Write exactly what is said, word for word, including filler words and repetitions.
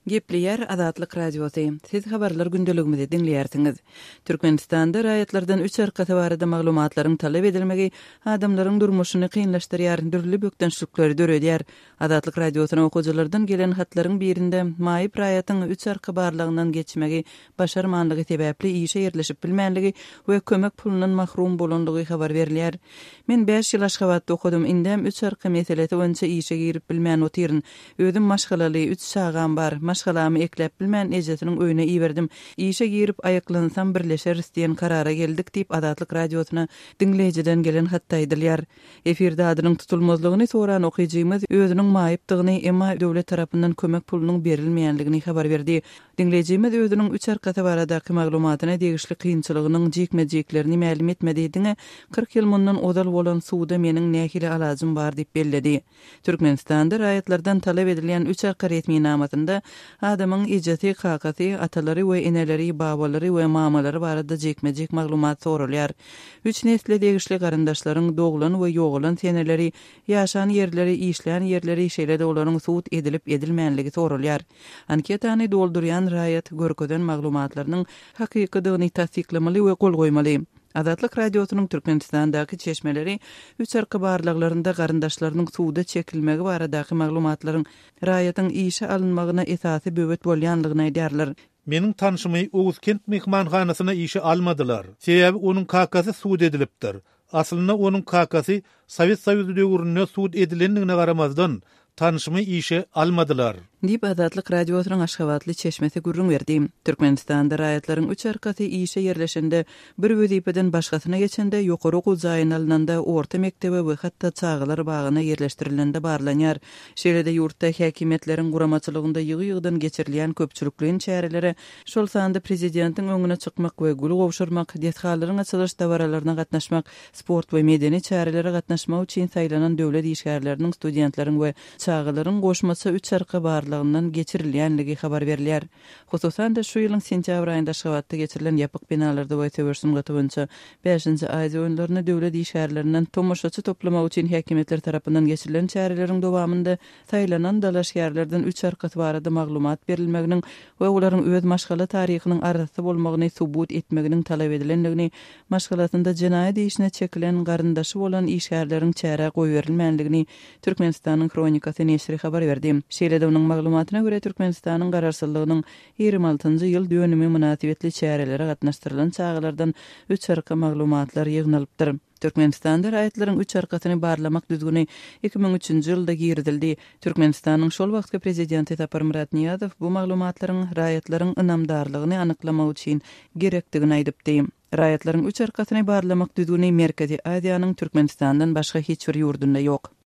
Gepleýär Azatlyk Radiosy. Siz habarlar gündeligimizi diňleýärsiňiz. Türkmenistanda raýatlardan üç arkasy barada maglumatlaryň talap edilmegi adamlaryň durmuşyny kynlaşdyrýar, dürli bökdençlikleri döredýär. Azatlyk Radiosyna okyjylardan gelen hatlaryň birinde maýyp raýatyň üç arka barlagyndan geçmegi başarmanlygy sebäpli işe ýerleşip bilmänligi we kömek pulundan mahrum bolanlygy habar berilýär. Men bäş ýyl Aşgabatda okadym, indem üç arka meselesi boýunça işe girip bilmän otyryn. Özüm maşgalaly, üç çagam bar. Maşgalamy ekläp bilmän ejesiniň öýüne iberdim. Işe girip aýaklansam birleşeris diýen karara geldik diýip Azatlyk Radiosyna diňleýjiden gelen hatda aýdylýar. Efirde adynyň tutulmazlygyny soran okyjymyz özüniň maýypdygyny, emma döwlet tarapyndan kömek pulunyň berilmeýänligini habar berdi. Diňleýjimiz özüniň üç arkasy baradaky maglumatyna degişli kynçylygynyň jikme-jiklerini mälim etmedi. Diňe kyrk ýyl mundan ozal bolan suwda meniň nähili alajym bar diýip belledi. Türkmenistanda raýatlardan talap edilýän üç arka resminamasynda adamyň ejesi, kakasy, atalary we eneleri, babalary we mamalary barada jikme-jik maglumat sorulýar. Üç nesle degişli garyndaşlaryň doglan we ýogalan seneleri, ýaşan ýerleri, işlän ýerleri, şeýle-de olaryň sud edilip edilmänligi sorulýar. Anketany doldurýan raýat görkezen maglumatlarynyň hakykydygyny tassyklamaly we gol goýmaly. Azatlyk Radiosynyň Türkmenistandaky çeşmeleri üç arka barlaglarynda garyndaşlarynyň suwda çekilmegi baradaky maglumatlaryň raýatyň işe alynmagyna esasy böwet bolýanlygyny aýdýarlar. Meniň tanşymy Oguzkent mehmanhanasyna işe almadylar. Sebäbi onuň kakasy sud edilipdir. Aslynda onuň kakasy Sowet Soýuzy döwründe sud edilendigine garamazdan tanşymy işe almadylar. Diýip Azatlyk Radiosynyň Aşgabatly çeşmesi gürrüň berdi. Türkmenistanda raýatlaryň üç arkasy işe ýerleşende, bir wezipeden başgasyna geçende, ýokary okuw jaýyna alynanda, orta mekdebe we hatda çagalar bagyna ýerleşdirilende barlanýar. Şeýle-de ýurtda häkimiýetleriň guramaçylygynda ýygy-ýygydan geçirilýän köpçülikleýin çärelere, şol sanda prezidentiň öňüne çykmak we gül gowşurmak, desgalaryň açylyş dabaralaryna gatnaşmak, sport we medeni çärelere gatnaşmak üçin saýlanan döwlet işgärleriniň, studentleriň we çagalaryň goşmaça üç arka barlagyndan geçirilýänligi habar berilýär. Hususan-da şu ýylyň sentýabr aýynda Aşgabatda geçirilen ýapyk binalarda we söweş sungaty boýunça bäşinji Aziýa oýunlaryny döwlet işgärlerinden tomaşaçy toplamak üçin häkimiýetler tarapyndan geçirilen çäreleriň dowamynda saýlanan dalaşgärlerden üç arkasy barada maglumat berilmeginiň we olaryň öz maşgala taryhynyň arasy bolmagyny subut etmeginiň talap edilendigini, maşgalasynda jenaýat işine çekilen garyndaşy bolan işgärleriň çärä goýberilmänligini Türkmenistanyň Hronikasy neşiri habar berdi. Şeýle-de onuň maglumatyna görä Türkmenistanyň garaşsyzlygynyň ýigrimi altynjy ýyl dönümi mynasybetli çärelere gatnaşdyrylan çagalardan üç arka maglumatlar ýygnalypdyr. Türkmenistanda raýatlaryň üç arkasyny barlamak düzgüni iki müň üçünji ýylda girizildi. Türkmenistanyň şol wagtky prezidenti Saparmyrat Nyýazow bu maglumatlaryň raýatlaryň ynamdarlygyny anyklamak üçin gerekdigini aýdypdy. Raýatlaryň üç arkasyny barlamak düzgüni Merkezi Aziýanyň Türkmenistandan başga hiç bir ýurdunda ýok.